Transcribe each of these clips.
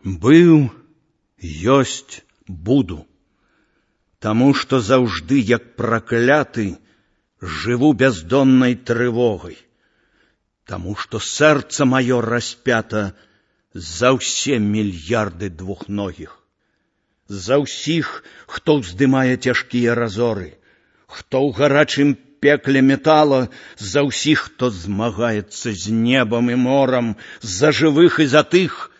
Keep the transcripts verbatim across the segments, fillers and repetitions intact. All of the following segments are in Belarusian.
Быў, ёсць, буду, таму што заўжды, як пракляты, жыву бяздоннай трывогай, таму што сэрца маё распята за ўсе мільярды двухногіх, за ўсіх, хто ўздымае цяжкія разоры, хто ў гарачым пекле метала, за ўсіх, хто змагаецца з небам і морам, за жывых і за тых,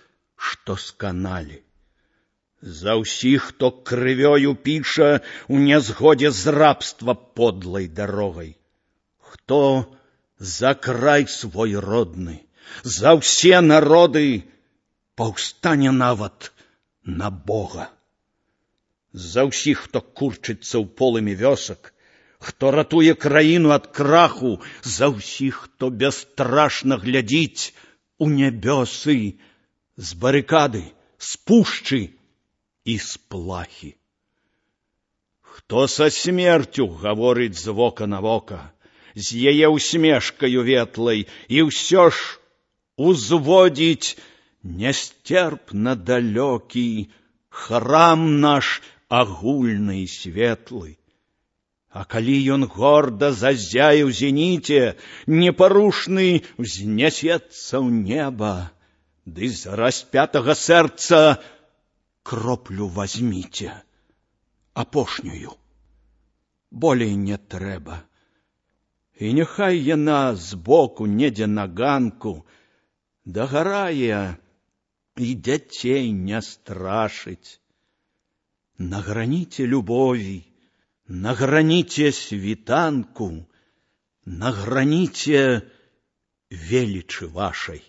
што сканалі, за ўсіх, хто крывёю піша у нязгодзе з рабства подлай дарогай, хто за край свой родны, за ўсе народы паўстане нават на Бога, за ўсіх, хто курчыцца ў полымі вёсак, хто ратуе краіну ад краху, за ўсіх, хто бясстрашна глядзіць у нябёсы, з барыкады, з пушчы і з плахі. Хто са смерцю гаворыць з вока на вока, з яе усмешкаю ветлай, і ўсё ж узводзіць нясцерпна далёкі храм наш агульны і светлы. А калі ён горда зазяе ў зеніце, непарушны ўзнясецца ў неба, ды з распятага сэрца кроплю вазьміце, апошнюю, болей не трэба. І няхай яна збоку, недзе на ганку, дагарае і дзяцей не страшыць. На граніце любові, на граніце світанку, на граніце велічы вашай.